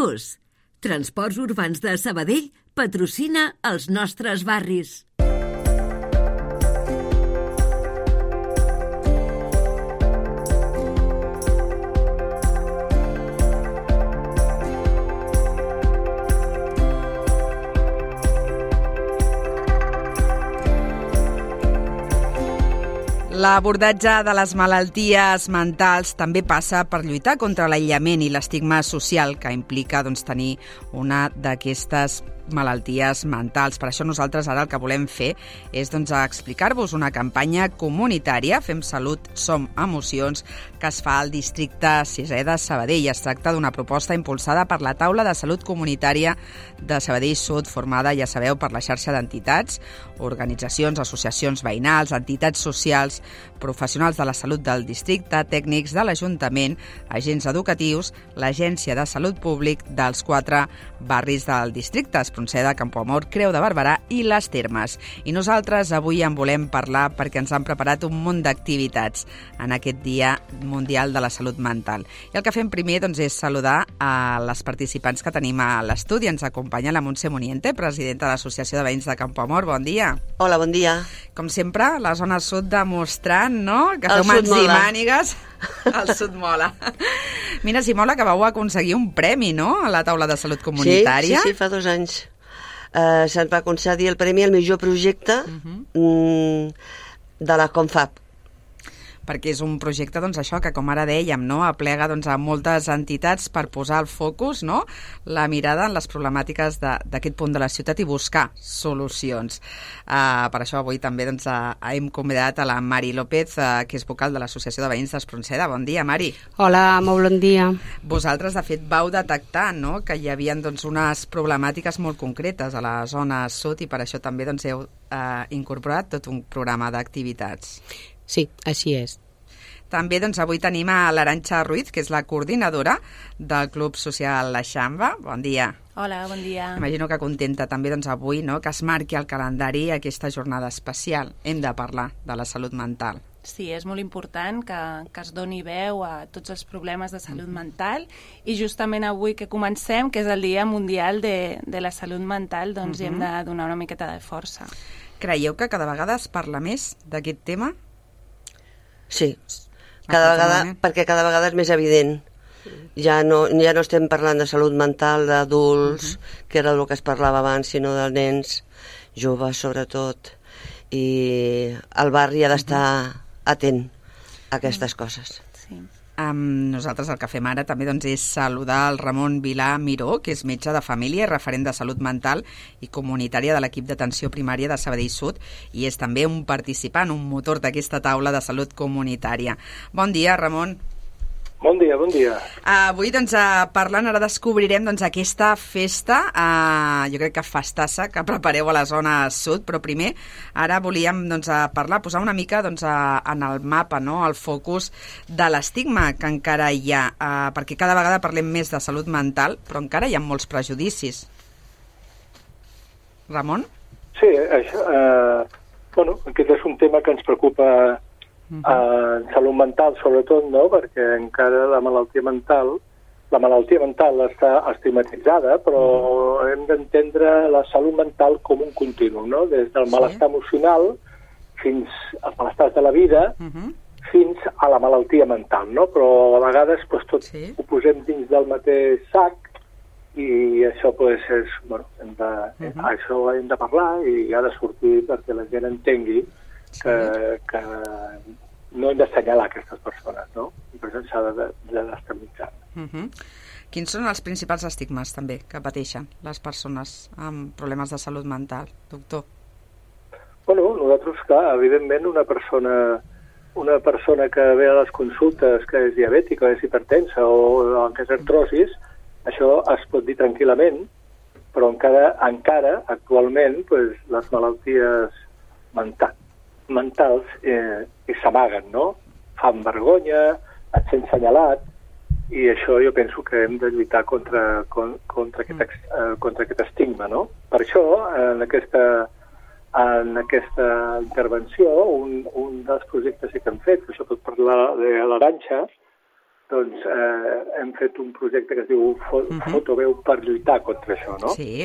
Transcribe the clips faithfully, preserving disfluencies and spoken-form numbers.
Autobús. Transports Urbans de Sabadell patrocina els nostres barris. L'abordatge de les malalties mentals també passa per lluitar contra l'aïllament i l'estigma social que implica doncs, tenir una d'aquestes malalties mentals. Per això nosaltres ara el que volem fer és doncs, explicar-vos una campanya comunitària, Fem Salut, Som Emocions, que es fa al districte sisè de Sabadell. Es tracta d'una proposta impulsada per la Taula de Salut Comunitària de Sabadell Sud, formada, ja sabeu, per la xarxa d'entitats, organitzacions, associacions veïnals, entitats socials, professionals de la salut del districte, tècnics de l'Ajuntament, agents educatius, l'Agència de Salut Públic dels quatre barris del districte, Espronceda, Campoamor, Creu de Barberà i Les Termes. I nosaltres avui en volem parlar perquè ens han preparat un munt d'activitats en aquest Dia Mundial de la Salut Mental. I el que fem primer doncs, és saludar a les participants que tenim a l'estudi. Ens acompanya la Montse Muniente, presidenta de l'Associació de Veïns de Campoamor. Bon dia. Hola, bon dia. Com sempre, la zona sud demostrant, no?, que feu mans i mànigues. El sud mola. Mira, si mola que vau aconseguir un premi, no?, a la Taula de Salut Comunitària. Sí, sí, sí, fa dos anys. Uh, se'n va concedir el premi al millor projecte uh-huh. mm, de la Confab. Perquè és un projecte, doncs, això, que com ara dèiem, no?, aplega doncs, a moltes entitats per posar el focus, no?, la mirada en les problemàtiques d'aquest punt de la ciutat i buscar solucions. Uh, per això avui també doncs, uh, hem convidat a la Mari López, uh, que és vocal de l'Associació de Veïns d'Espronceda. Bon dia, Mari. Hola, molt bon dia. Vosaltres, de fet, vau detectar, no?, que hi havia doncs, unes problemàtiques molt concretes a la zona sud i per això també doncs, heu uh, incorporat tot un programa d'activitats. Sí, així és. També doncs, avui tenim a l'Arantxa Ruiz, que és la coordinadora del Club Social La Xamba. Bon dia. Hola, bon dia. Imagino que contenta també doncs, avui, no?, que es marqui al calendari aquesta jornada especial. Hem de parlar de la salut mental. Sí, és molt important que, que es doni veu a tots els problemes de salut mental i justament avui que comencem, que és el Dia Mundial de, de la Salut Mental, doncs uh-huh. hi hem de donar una miqueta de força. Creieu que cada vegada es parla més d'aquest tema? Sí, cada vegada, perquè cada vegada és més evident. Ja no, ja no estem parlant de salut mental d'adults, uh-huh. que era el que es parlava abans, sinó de nens, joves sobretot, i el barri ha d'estar uh-huh. atent a aquestes coses. Sí. Um, nosaltres el que fem ara també doncs, és saludar el Ramon Vilà Miró, que és metge de família i referent de salut mental i comunitària de l'equip d'atenció primària de Sabadell Sud i és també un participant, un motor d'aquesta taula de salut comunitària. Bon dia, Ramon. Bon dia, bon dia. Uh, avui, doncs, uh, parlant, ara descobrirem doncs, aquesta festa, uh, jo crec que festassa, que prepareu a la zona sud, però primer, ara volíem doncs, uh, parlar, posar una mica doncs, uh, en el mapa, no?, el focus de l'estigma que encara hi ha, uh, perquè cada vegada parlem més de salut mental, però encara hi ha molts prejudicis. Ramon? Sí, això, uh, bueno, aquest és un tema que ens preocupa Uh-huh. Uh, en salut mental sobretot, no? Perquè encara la malaltia mental la malaltia mental està estigmatitzada, però uh-huh. hem d'entendre la salut mental com un continu, no? Des del sí. malestar emocional fins als malestars de la vida uh-huh. fins a la malaltia mental, no? Però a vegades pues, tot sí. ho posem dins del mateix sac i això pues, és, bueno, hem de, uh-huh. això hem de parlar i ha de sortir perquè la gent entengui Que, que no hem d'assenyalar aquestes persones, no? I per això s'ha de, de destabilitzar. Uh-huh. Quins són els principals estigmes, també, que pateixen les persones amb problemes de salut mental, doctor? Bueno, nosaltres, clar, evidentment, una persona, una persona que ve a les consultes que és diabètica, és hipertensa o que és artrosis, això es pot dir tranquil·lament, però encara, encara actualment, pues, les malalties mentals mentals eh, s'amaguen, no? Fan vergonya, et sents senyalat, i això jo penso que hem de lluitar contra, contra, aquest, eh, contra aquest estigma, no? Per això, en aquesta, en aquesta intervenció, un, un dels projectes que hem fet, que això pot parlar de l'Arantxa, doncs eh, hem fet un projecte que es diu Fotoveu per lluitar contra això, no? Sí,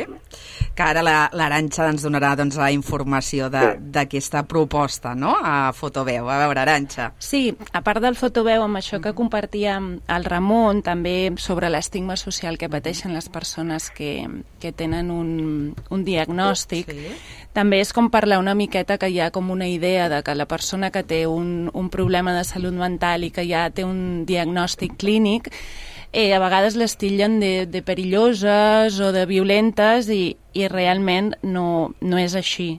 que ara l'Arantxa ens donarà doncs, la informació d'aquesta sí. proposta, no?, a Fotoveu. A veure, Arantxa. Sí, a part del Fotoveu, amb això que compartíem el Ramon, també sobre l'estigma social que pateixen les persones que, que tenen un, un diagnòstic, sí. també és com parlar una miqueta que hi ha com una idea de que la persona que té un, un problema de salut mental i que ja té un diagnòstic clínic, eh, a vegades les tillen de, de perilloses o de violentes i, i realment no, no és així.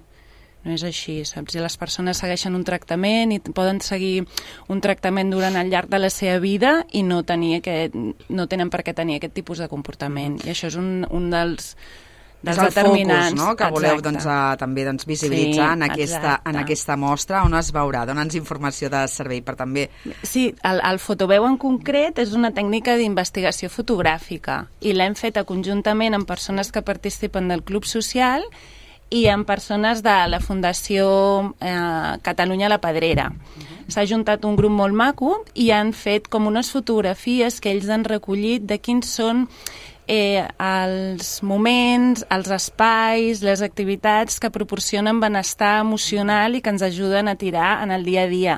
No és així, saps? I les persones segueixen un tractament i poden seguir un tractament durant el llarg de la seva vida i no, tenir aquest, no tenen per què tenir aquest tipus de comportament. I això és un, un dels... És el focus, no?, que voleu doncs, a, també doncs, visibilitzar sí, en, aquesta, en aquesta mostra, on es veurà. Dona'ns informació de servei per també... Sí, el, el Fotoveu en concret és una tècnica d'investigació fotogràfica i l'hem feta conjuntament amb persones que participen del Club Social i amb persones de la Fundació eh, Catalunya La Pedrera. Uh-huh. S'ha juntat un grup molt maco i han fet com unes fotografies que ells han recollit de quins són Eh, els moments, els espais, les activitats que proporcionen benestar emocional i que ens ajuden a tirar en el dia a dia.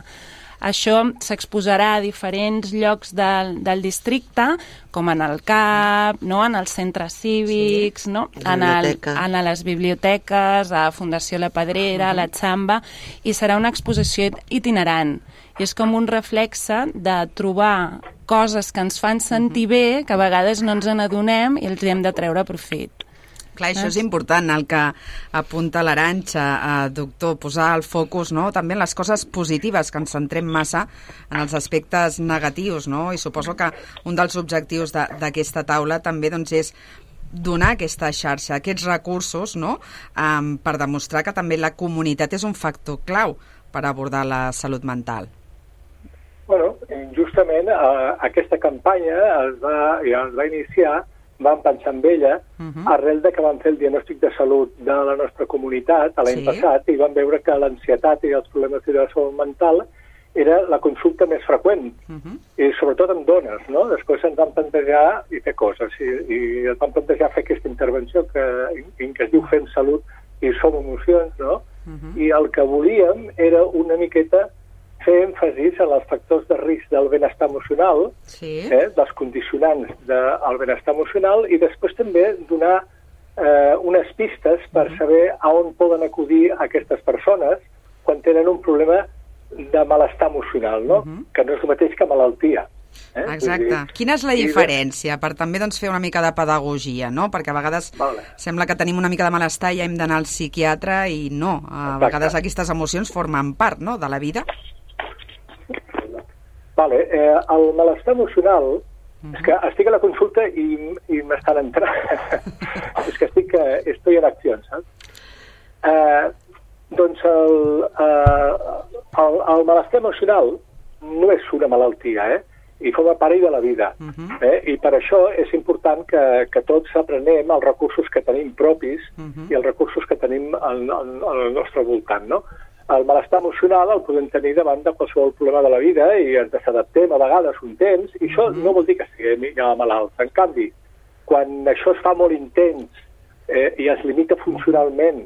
Això s'exposarà a diferents llocs del, del districte, com en el C A P, no? En els centres cívics, sí. no? en, el, en les biblioteques, a Fundació La Pedrera, uh-huh. a la Xamba, i serà una exposició itinerant. I és com un reflexe de trobar coses que ens fan sentir bé, que a vegades no ens n'adonem i els hem de treure profit. Clar, això és important, el que apunta l'Arantxa, eh, doctor, posar el focus, no?, també en les coses positives, que ens centrem massa en els aspectes negatius, no?, i suposo que un dels objectius d'aquesta taula també doncs, és donar aquesta xarxa, aquests recursos, no?, um, per demostrar que també la comunitat és un factor clau per abordar la salut mental. Bueno, justament eh, aquesta campanya es va, ja es va iniciar, vam pensar en ella, uh-huh. arrel de que vam fer el diagnòstic de salut de la nostra comunitat l'any sí. passat i vam veure que l'ansietat i els problemes de salut mental era la consulta més freqüent, uh-huh. i sobretot amb dones, no? Després ens vam plantejar i fer coses, i, i ens vam plantejar fer aquesta intervenció que, en què es diu Fem Salut i Som Emocions, no? Uh-huh. I el que volíem era una miqueta fer èmfasis en els factors de risc del benestar emocional, sí. eh, dels condicionants del benestar emocional, i després també donar eh, unes pistes per uh-huh. saber a on poden acudir aquestes persones quan tenen un problema de malestar emocional, no? Uh-huh. Que no és el mateix que malaltia. Eh? Exacte. Dir, quina és la diferència? Per també doncs, fer una mica de pedagogia, no? Perquè a vegades vale. sembla que tenim una mica de malestar i hem d'anar al psiquiatre i no. A Exacte. vegades aquestes emocions formen part, no?, de la vida. Vale, eh, el malestar emocional, uh-huh. és que estic a la consulta i, i m'estan entrant. és que estic, eh, estoy en acció, saps? Eh, doncs el, eh, el, el malestar emocional no és una malaltia, eh? I forma part de la vida. Uh-huh. eh? I per això és important que, que tots aprenem els recursos que tenim propis uh-huh. i els recursos que tenim al, al, al nostre voltant, no? El malestar emocional el podem tenir davant de qualsevol problema de la vida i ens desadaptem a vegades un temps, i això mm-hmm. no vol dir que estiguem ja malalts. En canvi, quan això es fa molt intens eh, i es limita funcionalment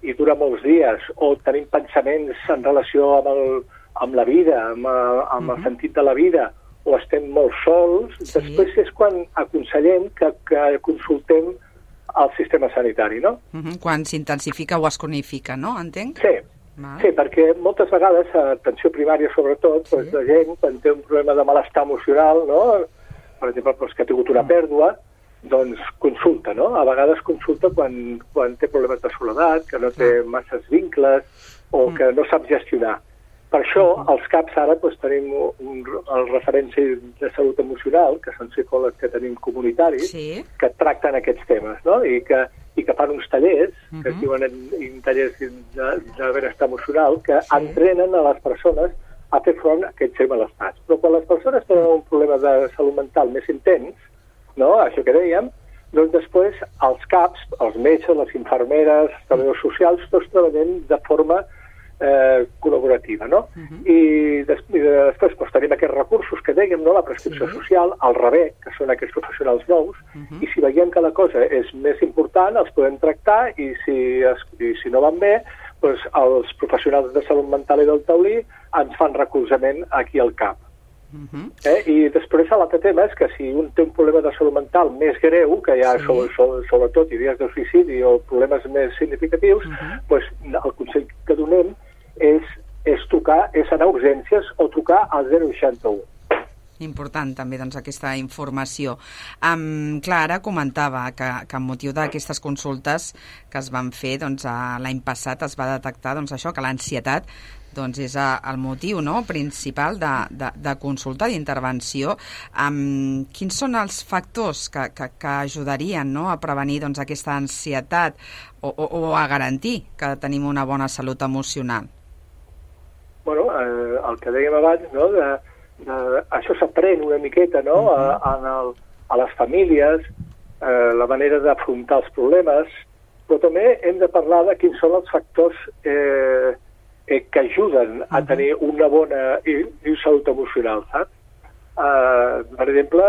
i dura molts dies, o tenim pensaments en relació amb, el, amb la vida, amb, amb mm-hmm. el sentit de la vida, o estem molt sols, sí. després és quan aconsellem que, que consultem el sistema sanitari, no? Mm-hmm. Quan s'intensifica o es cronifica, no? Entenc? Sí. Val. Sí, perquè moltes vegades, a atenció primària sobretot, sí. doncs la gent, quan té un problema de malestar emocional, no? Per exemple, doncs, que ha tingut una pèrdua, doncs consulta, no? A vegades consulta quan, quan té problemes de soledat, que no té masses vincles o mm. que no sap gestionar. Per això, als C A Ps ara doncs, tenim un, el referent de salut emocional, que són psicòlegs que tenim comunitaris, sí. que tracten aquests temes, no? I que i que fan uns tallers, uh-huh. que es diuen en, en tallers de, de benestar emocional, que sí. entrenen a les persones a fer front a aquests malestars. Però quan les persones tenen un problema de salut mental més intens, no? Això que dèiem, doncs després els C A Ps, els metges, les infermeres, els treballadors socials, tots treballem de forma eh, col·laborativa, no? Uh-huh. I, des, i després doncs, tenim aquests recursos que dèiem, no? La prescripció sí. social, el rebé, que són aquests professionals nous, uh-huh. i si veiem que la cosa és més important, els podem tractar, i si, es, i si no van bé, doncs els professionals de salut mental i del taulí ens fan recolzament aquí al cap. Uh-huh. Eh? I després l'altre tema és que si un té un problema de salut mental més greu, que hi ha sí. sobre, sobre, sobretot idees de suïcidi o problemes més significatius, uh-huh. doncs el consell que donem és, és trucar, és anar a urgències o trucar al zero seixanta-u. Important també doncs, aquesta informació. Um, clar, ara comentava que, que amb motiu d'aquestes consultes que es van fer doncs, l'any passat es va detectar doncs, això que l'ansietat doncs és el motiu, no?, principal de, de, de consulta, d'intervenció. Um, quins són els factors que, que, que ajudarien, no?, a prevenir doncs, aquesta ansietat o, o, o a garantir que tenim una bona salut emocional? Bueno, eh, el que dèiem abans, no?, de, de, això s'aprèn una miqueta, no?, uh-huh. a, a, el, a les famílies, eh, la manera d'afrontar els problemes, però també hem de parlar de quins són els factors eh, que ajuden a tenir una bona i, i salut emocional, saps? Uh, per exemple,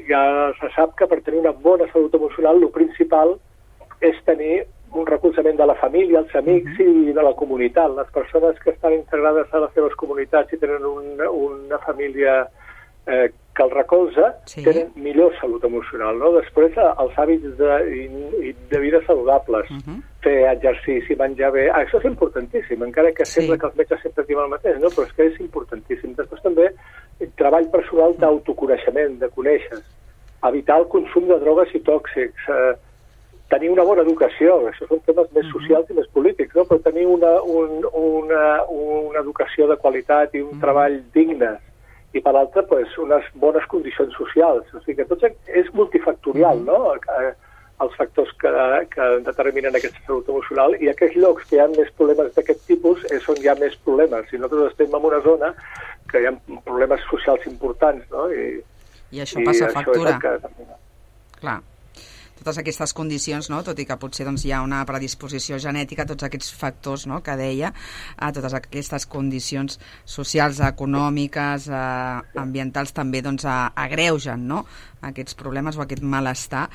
ja se sap que per tenir una bona salut emocional el principal és tenir un recolzament de la família, els amics uh-huh. i de la comunitat. Les persones que estan integrades a les seves comunitats i tenen una, una família eh, que el recolza, sí. tenen millor salut emocional, no? Després, els hàbits de, de vida saludables, uh-huh. fer exercici, menjar bé, ah, això és importantíssim, encara que sí. sembla que els metges sempre diuen el mateix, no? Però és que és importantíssim. Després també, treball personal d'autoconeixement, de conèixer, evitar el consum de drogues i tòxics, eh, tenir una bona educació, això són temes més socials i més polítics, no? Però tenir una, un, una, una educació de qualitat i un uh-huh. treball digne, i per l'altra, pues, unes bones condicions socials. O sigui que tot és multifactorial, no?, els factors que, que determinen aquesta salut emocional, i aquells llocs que hi ha més problemes d'aquest tipus és on hi ha més problemes. Si nosaltres estem en una zona que hi ha problemes socials importants, no?, i, I això passa i factura. Això és el que... Clar. Totes aquestes condicions, no? Tot i que potser doncs, hi ha una predisposició genètica, tots aquests factors, no?, que deia, a totes aquestes condicions socials, econòmiques, eh, ambientals, també doncs, agreugen, no?, aquests problemes o aquest malestar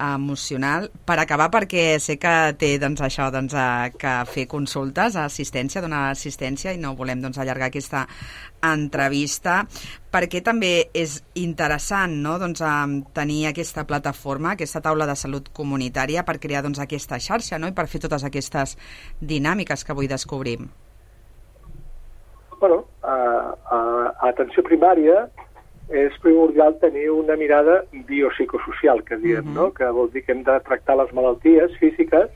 emocional. Per acabar, perquè sé que té doncs, això, doncs, a, que fer consultes, assistència, donar assistència, i no volem doncs, allargar aquesta entrevista, perquè també és interessant, no?, doncs, tenir aquesta plataforma, aquesta taula de salut comunitària per crear doncs, aquesta xarxa, no?, i per fer totes aquestes dinàmiques que avui descobrim. Bueno, a, a, a atenció primària és primordial tenir una mirada biopsicosocial, que diem, uh-huh. no?, que vol dir que hem de tractar les malalties físiques,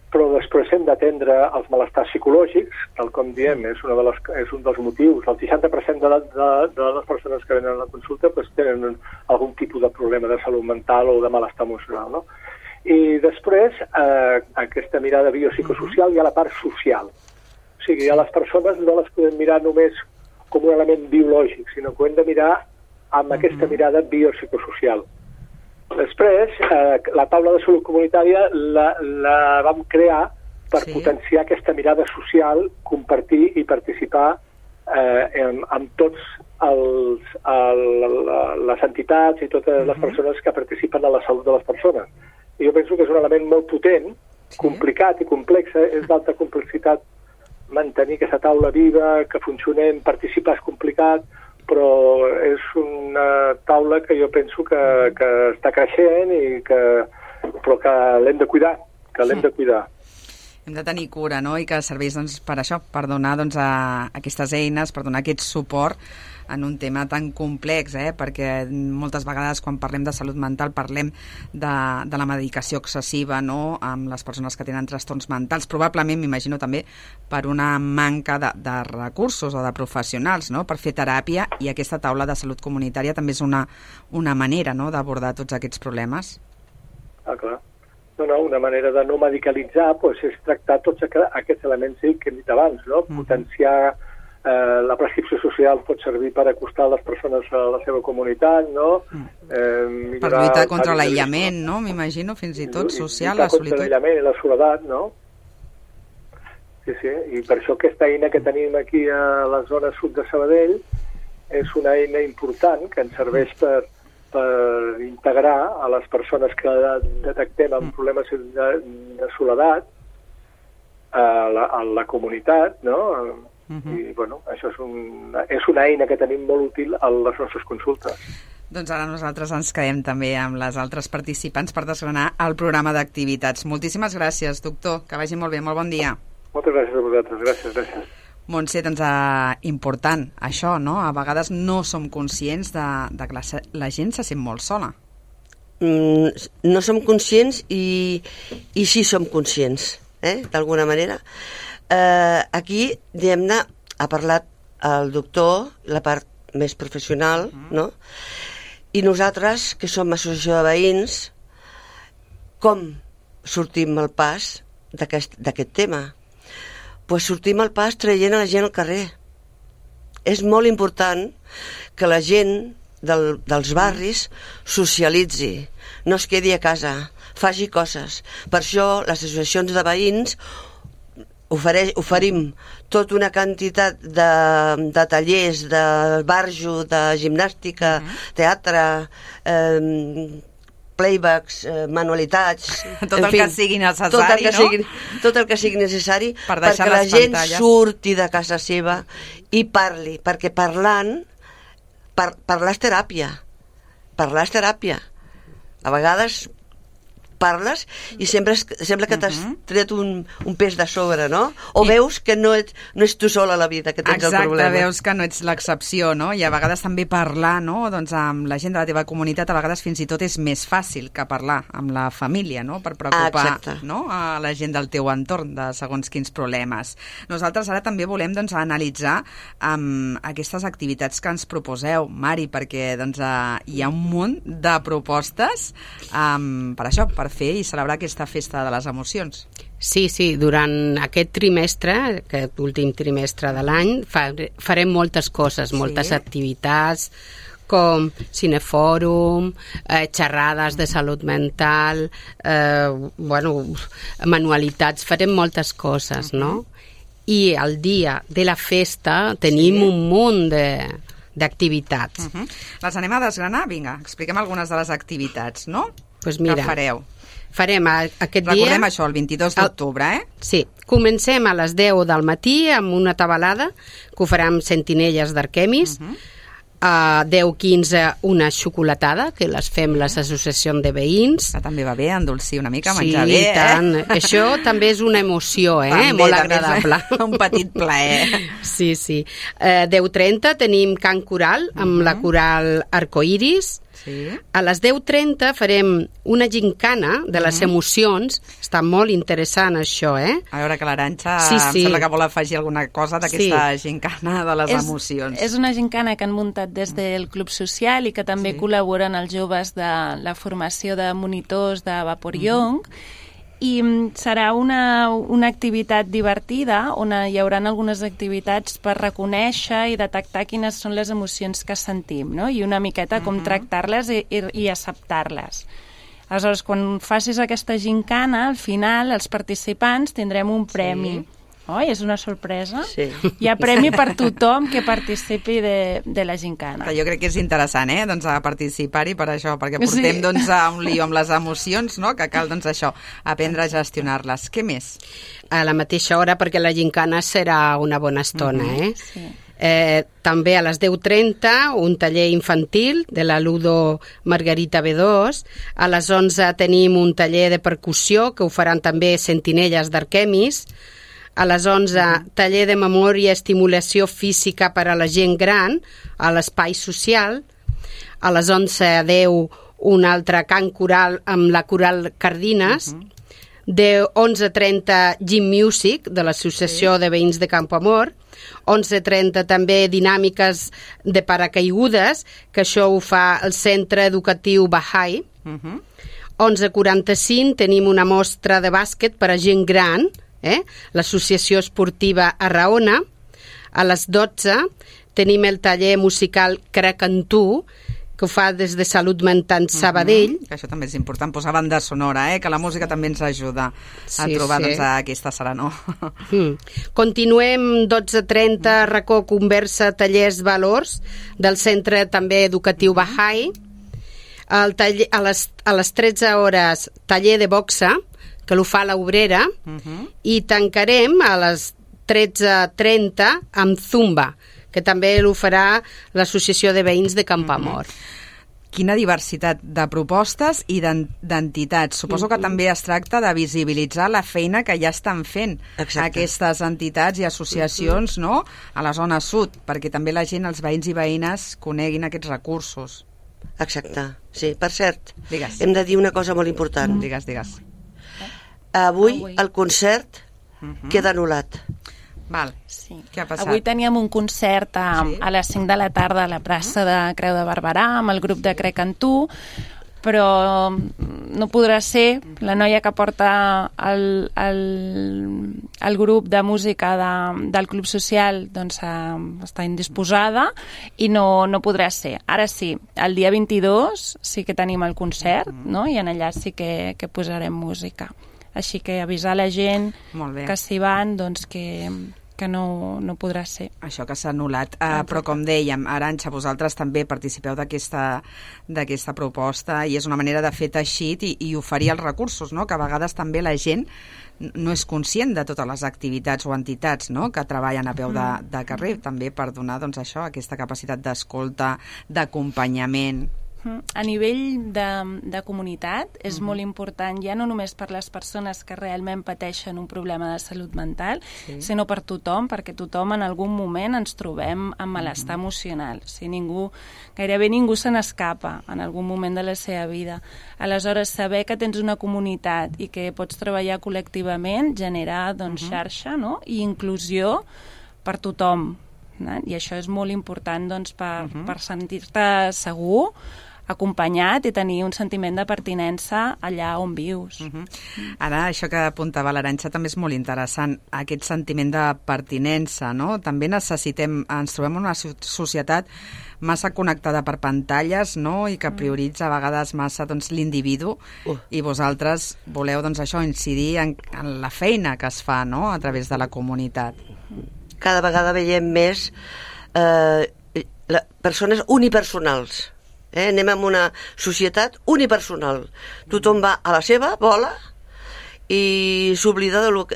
però després hem d'atendre els malestars psicològics, tal com diem, és, una de les, és un dels motius. El seixanta per cent de, la, de, de les persones que venen a la consulta pues, tenen algun tipus de problema de salut mental o de malestar emocional, no? I després, eh, aquesta mirada biopsicosocial, hi ha la part social. O sigui, a les persones no les podem mirar només com un element biològic, sinó que ho hem de mirar amb uh-huh. aquesta mirada biopsicosocial. Després, eh, la taula de salut comunitària la, la vam crear per sí. potenciar aquesta mirada social, compartir i participar eh, en, amb tots els, el, les entitats i totes uh-huh. les persones que participen a la salut de les persones. I jo penso que és un element molt potent, sí. complicat i complex, és d'alta complexitat mantenir aquesta taula viva, que funcionem, participar és complicat, però és una taula que jo penso que, que està creixent i que, però que l'hem de cuidar, que l'hem de cuidar. Hem de tenir cura, no?, i que serveix doncs, per això, per donar doncs, a aquestes eines, per donar aquest suport en un tema tan complex, eh? Perquè moltes vegades quan parlem de salut mental parlem de, de la medicació excessiva, no?, amb les persones que tenen trastorns mentals, probablement, m'imagino també, per una manca de, de recursos o de professionals, no?, per fer teràpia, i aquesta taula de salut comunitària també és una, una manera, no?, d'abordar tots aquests problemes. Ah, clar. No, no, una manera de no medicalitzar pues, és tractar tots aquests elements que hem dit abans, no? Mm. Potenciar eh, la prescripció social pot servir per acostar les persones a la seva comunitat, no? Eh, per lluitar contra l'aïllament, no? M'imagino, fins i tot social, la solitud. Contra l'aïllament i la soledat, no? sí, sí. I per això aquesta eina que tenim aquí a la zona sud de Sabadell és una eina important que ens serveix per, per integrar a les persones que detectem amb problemes de, de soledat a la, a la comunitat, no? Uh-huh. I, bueno, això és, un, és una eina que tenim molt útil a les nostres consultes. Doncs ara nosaltres ens quedem també amb les altres participants per desgranar el programa d'activitats. Moltíssimes gràcies, doctor. Que vagi molt bé. Molt bon dia. Moltes gràcies a vosaltres. Gràcies, gràcies. Montse, doncs uh, important, això, no? A vegades no som conscients de, de que la, la gent se sent molt sola. Mm, no som conscients i, i sí som conscients, eh? D'alguna manera. Eh, aquí, diguem-ne, ha parlat el doctor, la part més professional, no? I nosaltres, que som associació de veïns, com sortim al pas d'aquest, d'aquest tema? Pues sortim al pas traient a la gent al carrer. És molt important que la gent del, dels barris socialitzi, no es quedi a casa, faci coses. Per això les associacions de veïns ofereix, oferim tota una quantitat de, de tallers, de barjo, de gimnàstica, uh-huh. teatre, eh, playbacks, eh, manualitats... Tot el fi, que sigui necessari, tot el que no? Sigui, tot el que sigui necessari per perquè la gent pantalles. surti de casa seva i parli, perquè parlant, par, parlar és teràpia. Parlar és teràpia. A vegades parles i sempre es, sembla que t'has uh-huh. tret un, un pes de sobre, no? O I... veus que no ets, no ets tu sola a la vida, que tens Exacte, el problema. veus que no ets l'excepció, no? I a vegades també parlar, no? Doncs amb la gent de la teva comunitat a vegades fins i tot és més fàcil que parlar amb la família, no? Per preocupar ah, no? a la gent del teu entorn de segons quins problemes. Nosaltres ara també volem doncs, analitzar um, aquestes activitats que ens proposeu, Mari, perquè doncs, uh, hi ha un munt de propostes um, per això, per fer i celebrar aquesta festa de les emocions. Sí, sí, durant aquest trimestre, aquest últim trimestre de l'any, farem moltes coses, moltes sí. activitats, com cinefòrum, eh, xerrades de salut mental, eh, bueno, manualitats, farem moltes coses, uh-huh. no? I el dia de la festa tenim sí. un munt de d'activitats. Uh-huh. Les anem a desgranar? Vinga, expliquem algunes de les activitats, no? Pues mira, que fareu? Farem aquest dia... Recordem això, el vint-i-dos d'octubre, eh? Sí, comencem a les deu del matí amb una tabalada que ho farem Sentinelles d'Arquemis, uh-huh. a deu quinze una xocolatada, que les fem les associacions de veïns. Que també va bé endolcir una mica, sí, menjar bé, eh? Tant. Això també és una emoció, eh? També, molt agradable. Un petit plaer. Sí, sí. Eh, deu trenta tenim cant coral amb uh-huh. la coral Arcoiris. Sí. A les deu trenta farem una gincana de les mm. emocions. Està molt interessant això, eh? A veure que l'Arantxa sí, sí. em sembla que vol afegir alguna cosa d'aquesta sí. gincana de les és, emocions. És una gincana que han muntat des del Club Social i que també sí. col·laboren els joves de la formació de monitors de Vapor Young. Mm-hmm. I serà una, una activitat divertida on hi haurà algunes activitats per reconèixer i detectar quines són les emocions que sentim, no? I una miqueta com uh-huh. tractar-les i, i, i acceptar-les. Aleshores, quan facis aquesta gincana, al final els participants tindrem un premi. Sí. Oi, és una sorpresa? Sí. Hi ha premi per tothom que participi de, de la gincana. Jo crec que és interessant, eh?, doncs a participar-hi per això, perquè portem sí. doncs a un lío amb les emocions, no?, que cal doncs això, aprendre a gestionar-les. Què més? A la mateixa hora, perquè la gincana serà una bona estona, uh-huh. eh? Sí. Eh, també a les deu trenta un taller infantil de la Ludo Margarita B dos. A les onze tenim un taller de percussió que ho faran també Sentinelles d'Arquemis. A les onze, taller de memòria i estimulació física per a la gent gran a l'espai social. A les onze a deu, un altre cant coral amb la coral Cardines. Uh-huh. De onze trenta, Gym Music, de l'Associació sí. de Veïns de Campoamor. onze trenta també dinàmiques de paracaigudes, que això ho fa el Centre Educatiu Bahá'í. Uh-huh. onze quaranta-cinc tenim una mostra de bàsquet per a gent gran, Eh? l'Associació Esportiva Arraona. A les dotze tenim el taller musical Crec en tu, que ho fa des de Salut Mental Sabadell. Mm-hmm. Que això també és important, posar banda sonora, eh? Que la música també ens ajuda sí, a trobar sí. doncs, aquesta serenor. Mm. Continuem dotze trenta, racó, conversa, tallers, valors, del Centre també educatiu Baha'i. El taller, a, les, a les tretze hores, taller de boxa, que l'ho fa l'Obrera, uh-huh. i tancarem a les tretze trenta amb Zumba, que també l'ho farà l'Associació de Veïns de Campoamor. Mm-hmm. Quina diversitat de propostes i d'entitats. Suposo que mm-hmm. també es tracta de visibilitzar la feina que ja estan fent Exacte. Aquestes entitats i associacions mm-hmm. no? A la zona sud, perquè també la gent, els veïns i veïnes, coneguin aquests recursos. Exacte, sí. Per cert, digues. Hem de dir una cosa molt important. Mm. Digues, digues. Avui el concert mm-hmm. queda anul·lat. Val. Sí. Què ha passat? Avui teníem un concert a, sí? a les cinc de la tarda a la plaça de Creu de Barberà amb el grup de Crec en Tu, però no podrà ser. La noia que porta el, el, el grup de música de, del Club Social doncs, està indisposada i no, no podrà ser. Ara sí, el dia vint-i-dos sí que tenim el concert, no? I en allà sí que, que posarem música. Així que avisar la gent que s'hi van, doncs que, que no, no podrà ser. Això que s'ha anul·lat. Uh, però com dèiem, Arantxa, vosaltres també participeu d'aquesta d'aquesta proposta i és una manera de fer teixit i, i oferir els recursos, no? Que a vegades també la gent no és conscient de totes les activitats o entitats, no? Que treballen a peu de, de carrer, també per donar doncs, això, aquesta capacitat d'escolta, d'acompanyament. A nivell de, de comunitat és uh-huh. molt important, ja no només per les persones que realment pateixen un problema de salut mental, sí. sinó per tothom, perquè tothom en algun moment ens trobem amb malestar uh-huh. emocional. O sigui, ningú, gairebé ningú se n'escapa en algun moment de la seva vida. Aleshores, saber que tens una comunitat i que pots treballar col·lectivament genera doncs, uh-huh. xarxa, no? I inclusió per tothom. No? I això és molt important doncs, per, uh-huh. per sentir-te segur, acompanyat i tenir un sentiment de pertinença allà on vius. Uh-huh. Ara, això que apuntava l'Arantxa també és molt interessant, aquest sentiment de pertinença, no? També necessitem, ens trobem en una societat massa connectada per pantalles, no? I que prioritza a vegades massa doncs, l'individu uh. i vosaltres voleu doncs, això incidir en, en la feina que es fa, no? A través de la comunitat. Cada vegada veiem més eh, la, persones unipersonals. Eh? Anem a una societat unipersonal. Tothom va a la seva bola i s'oblida de lo que...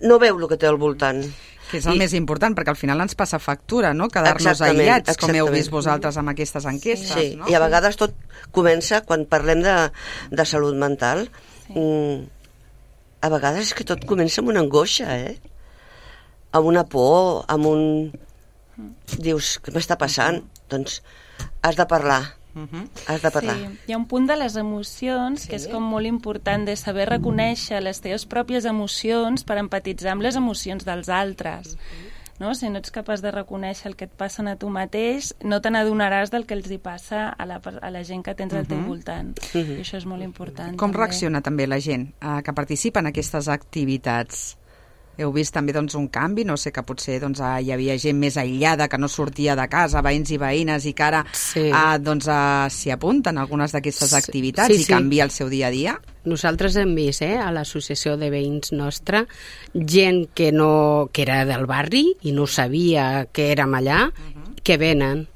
no veu el que té al voltant. Que és el I... més important, perquè al final ens passa factura, no? Quedar-nos exactament, aïllats, exactament. com heu vist vosaltres amb aquestes enquestes. Sí, no? I a vegades tot comença, quan parlem de, de salut mental, sí. mm, a vegades és que tot comença amb una angoixa, eh? Amb una por, amb un... Dius, què m'està passant? Doncs has de parlar. Uh-huh. Has de parlar. Sí, hi ha un punt de les emocions sí. que és com molt important de saber reconèixer les teves pròpies emocions per empatitzar amb les emocions dels altres. Uh-huh. No? Si no ets capaç de reconèixer el que et passa a tu mateix, no te n'adonaràs del que els hi passa a la, a la gent que tens al teu voltant. Uh-huh. I això és molt important. Com també. Reacciona també la gent eh, que participa en aquestes activitats? Heu vist també doncs, un canvi? No sé, que potser doncs, hi havia gent més aïllada que no sortia de casa, veïns i veïnes, i que ara sí. eh, doncs, eh, s'hi apunten algunes d'aquestes sí. activitats sí, sí. i canvia el seu dia a dia? Nosaltres hem vist eh, a l'associació de veïns nostra gent que, no, que era del barri i no sabia que érem allà, uh-huh. que venen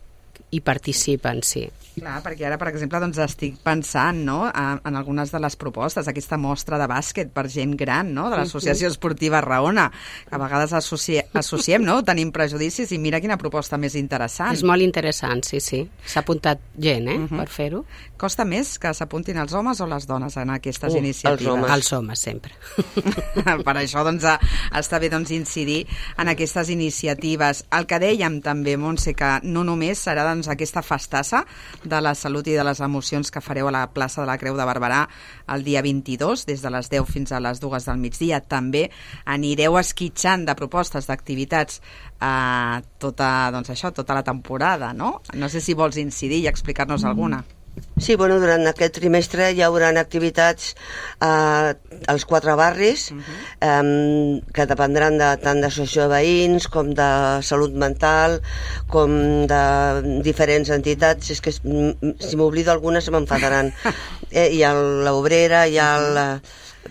i participen, sí. Clar, perquè ara, per exemple, doncs estic pensant no, en algunes de les propostes, aquesta mostra de bàsquet per gent gran, no, de l'Associació Esportiva Raona, que a vegades associ... associem, no, tenim prejudicis, i mira quina proposta més interessant. És molt interessant, sí, sí. S'ha apuntat gent, eh, uh-huh. per fer-ho. Costa més que s'apuntin els homes o les dones en aquestes uh, iniciatives? Els homes. Els homes, sempre. Per això, doncs, està bé doncs, incidir en aquestes iniciatives. El que dèiem també, Montse, que no només serà doncs, aquesta festassa de la salut i de les emocions que fareu a la plaça de la Creu de Barberà el dia vint-i-dos, des de les deu fins a les dues del migdia. També anireu esquitxant de propostes d'activitats eh, tota, doncs això, tota la temporada, no? No sé si vols incidir i explicar-nos alguna. Sí, bueno, durant aquest trimestre hi haurà activitats eh, als quatre barris uh-huh. eh, que dependran de, tant d'associació de veïns com de salut mental, com de diferents entitats. És que si m'oblido algunes se m'enfadaran. Eh, hi ha l'Obrera, hi ha la...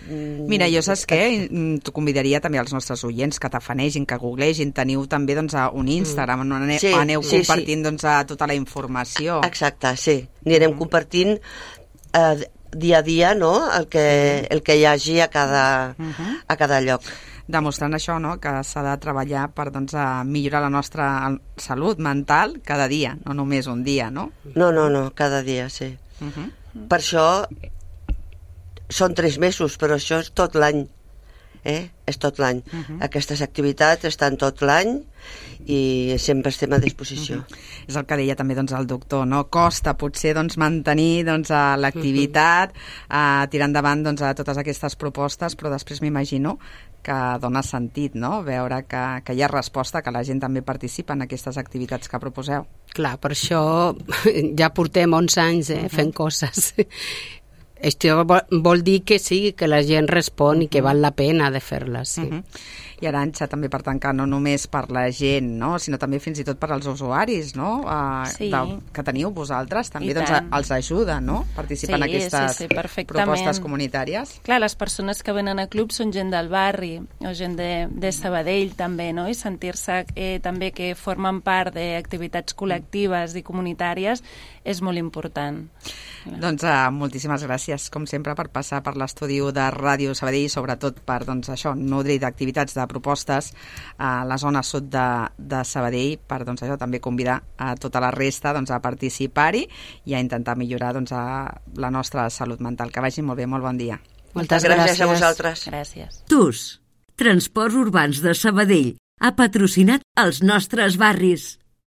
Mira, jo saps què? T'ho convidaria també als nostres oients que t'afanegin, que googlegin. Teniu també doncs, un Instagram on aneu, sí, aneu sí, compartint sí. Doncs, tota la informació. Exacte, sí. Anirem mm. compartint eh, dia a dia, no?, el que, el que hi hagi a cada, mm-hmm. a cada lloc. Demostrant això, no?, que s'ha de treballar per doncs, a millorar la nostra salut mental cada dia, no només un dia, no? No, no, no, cada dia, sí. Mm-hmm. Per això són tres mesos, però això és tot l'any. Eh? És tot l'any. Uh-huh. Aquestes activitats estan tot l'any i sempre estem a disposició. Uh-huh. És el que deia també doncs, el doctor, no? Costa potser doncs, mantenir doncs, l'activitat, uh-huh. uh, tirar endavant doncs, a totes aquestes propostes, però després m'imagino que dona sentit, no?, veure que, que hi ha resposta, que la gent també participa en aquestes activitats que proposeu. Clar, per això ja portem onze anys eh, uh-huh. fent coses. Això vol dir que sí, que la gent respon i que val la pena de fer-les, sí. Uh-huh. I Arantxa, també per tancar, no només per la gent, no?, sinó també fins i tot per als usuaris, no?, uh, sí. de, que teniu vosaltres, també doncs, els ajuda, no?, participar sí, en aquestes sí, sí, propostes comunitàries. Clar, les persones que venen a club són gent del barri o gent de, de Sabadell també, no?, i sentir-se eh, també que formen part d'activitats col·lectives i comunitàries és molt important. Doncs uh, moltíssimes gràcies, com sempre, per passar per l'estudi de Ràdio Sabadell i sobretot per doncs, això, nodrir d'activitats, de propostes a la zona sud de, de Sabadell, per doncs, això, també convidar a tota la resta doncs, a participar-hi i a intentar millorar doncs, a la nostra salut mental. Que vagi molt bé, molt bon dia. Moltes gràcies, gràcies a vosaltres. Gràcies. T U S, Transports Urbans de Sabadell, ha patrocinat els nostres barris.